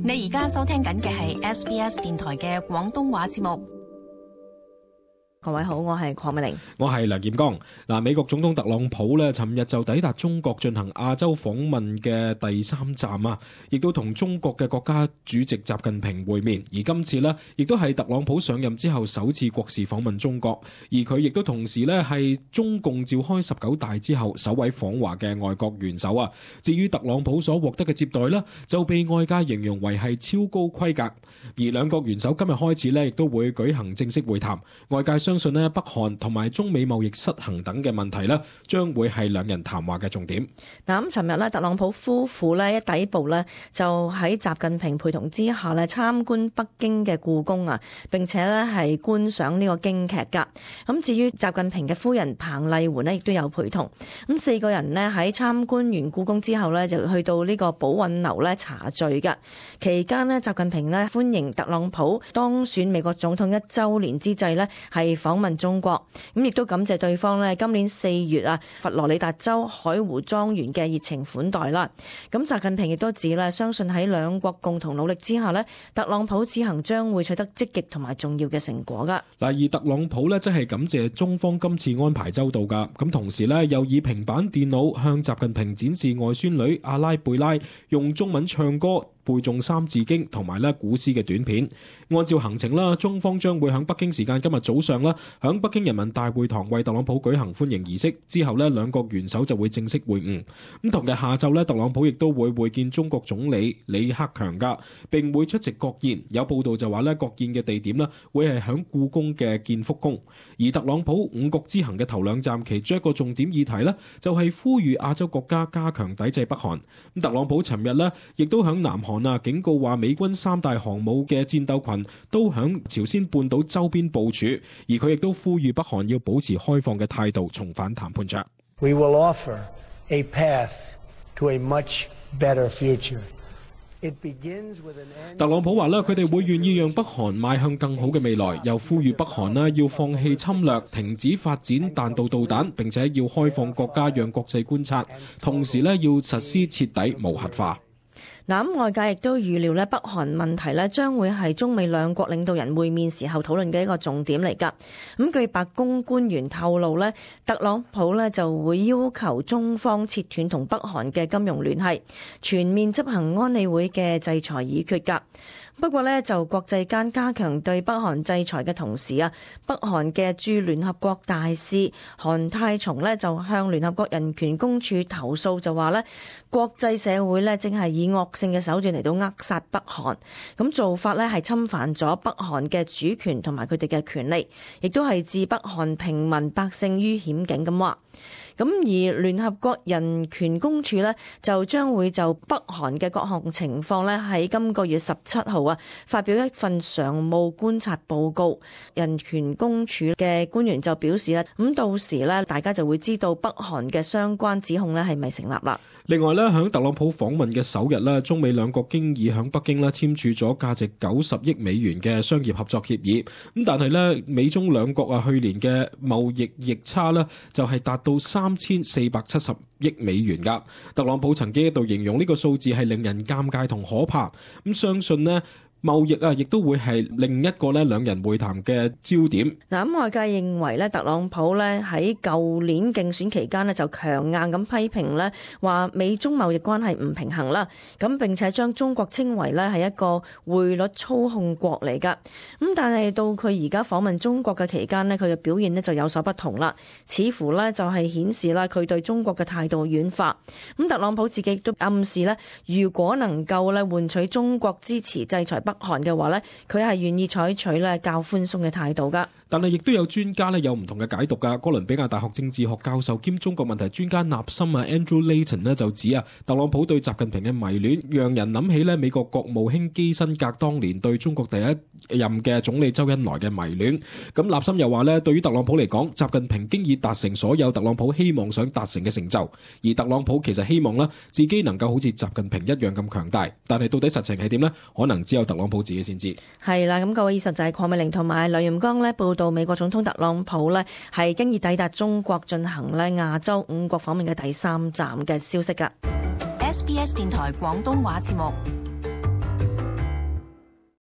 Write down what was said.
你而家收聽緊嘅係 SBS 電台嘅廣東話節目。各位好，我係鄺美玲，我係梁劍剛。美國總統特朗普咧，尋日就抵達中國進行亞洲訪問嘅第3站啊，亦都同中國嘅國家主席習近平會面。而今次呢，亦都係特朗普上任之後首次國事訪問中國，而佢亦都同時呢係中共召開19大之後首位訪華嘅外國元首啊。至於特朗普所獲得嘅接待呢，就被外界形容為係超高規格。而兩國元首今日開始呢，亦都會舉行正式會談，外界相信呢，北韓同埋中美貿易失衡等嘅問題呢，將會係兩人談話嘅重點。咁尋日呢，特朗普夫婦呢一抵埗呢，就喺習近平陪同之下呢參觀北京嘅故宮啊，並且呢係觀賞呢個京劇噶。咁至於習近平嘅夫人彭麗媛呢，亦都有陪同。咁4個人呢喺參觀完故宮之後呢，就去到呢個寶韻樓呢茶聚噶。期間呢，習近平呢歡迎特朗普當選美國總統1週年之際呢，係訪問中國，咁亦都感謝對方呢今年4月啊佛羅里達州海湖莊園嘅熱情款待啦。咁習近平亦都指呢，相信喺兩國共同努力之下呢，特朗普此行將會取得積極同埋重要嘅成果噶。而特朗普呢，真係感謝中方今次安排周到噶，咁同時呢，又以平板電腦向習近平展示外孫女阿拉貝拉用中文唱歌背誦三字經同埋古詩嘅短片。按照行程啦，中方將會喺北京時間今日早上啦，喺北京人民大會堂為特朗普舉行歡迎儀式。之後呢，兩國元首就會正式會晤。咁同日下晝呢，特朗普亦都會會見中國總理李克強噶，並會出席國宴。有報道就話呢，國宴嘅地點呢會係喺故宮嘅建福宮。而特朗普5國之行嘅頭2站，其中一個重點議題呢，就係呼籲亞洲國家加強抵制北韓。咁特朗普尋日呢，亦都喺南韓警告話美軍3大航母嘅戰鬥群都響朝鮮半島周邊部署，而佢亦都呼籲北韓要保持開放嘅態度，重返談判桌。We will offer a path to a much better future. It begins with an end. 特朗普話佢哋會願意讓北韓邁向更好嘅未來，又呼籲北韓要放棄侵略，停止發展彈道導彈，並且要開放國家讓國際觀察，同時要實施徹底無核化。咁外界亦都預料咧，北韓問題咧將會係中美兩國領導人會面時候討論嘅一個重點嚟㗎。咁據白宮官員透露咧，特朗普咧就會要求中方切斷同北韓嘅金融聯繫，全面執行安理會嘅制裁議決㗎。不過呢，就國際間加強對北韓制裁嘅同時啊，北韓嘅駐聯合國大使韓泰松呢就向聯合國人權公署投訴，就話呢國際社會呢正係以惡性嘅手段嚟到扼殺北韓，咁做法呢係侵犯咗北韓嘅主權同埋佢哋嘅權利，亦都係置北韓平民百姓於險境咁話。咁而聯合國人權公署呢，就將會就北韓嘅各項情況呢，喺今個月17號發表一份常務觀察報告。人權公署嘅官員就表示咁到時呢，大家就會知道北韓嘅相關指控呢係咪成立啦。另外呢，響特朗普訪問嘅首日呢，中美兩國經已響北京呢簽署咗價值90億美元嘅商業合作協議。咁但係呢，美中兩國去年嘅貿易逆差呢，就係達到3470億美元噶。特朗普曾經一度形容呢個數字係令人尷尬同可怕。咁相信呢，貿易亦都會係另一個兩人會談嘅焦點。咁外界認為特朗普喺舊年競選期間就強硬咁批評話美中貿易關係唔平衡啦，咁並且將中國稱為係一個匯率操控國嚟噶。咁但係到佢而家訪問中國嘅期間佢嘅表現就有所不同啦，似乎就係顯示佢對中國嘅態度軟化。咁特朗普自己都暗示如果能夠換取中國支持制裁北韓嘅話呢，佢係願意採取較寬鬆嘅態度噶。但係亦都有專家有唔同嘅解讀噶。哥倫比亞大學政治學教授兼中國問題專家納森Andrew Layton 就指特朗普對習近平嘅迷戀，讓人諗起美國國務卿基辛格當年對中國第一任嘅總理周恩來嘅迷戀。咁納森又話對於特朗普嚟講，習近平經已達成所有特朗普希望想達成嘅成就，而特朗普其實希望自己能夠好似習近平一樣咁強大。但係到底實情係點呢？可能只有特朗普自己先知。係啦，咁各位，以上就係鄺美玲同埋梁炎剛報道美國總統特朗普係經已抵達中國進行亞洲5國訪問嘅第3站嘅消息㗎。SBS 電台廣東話節目。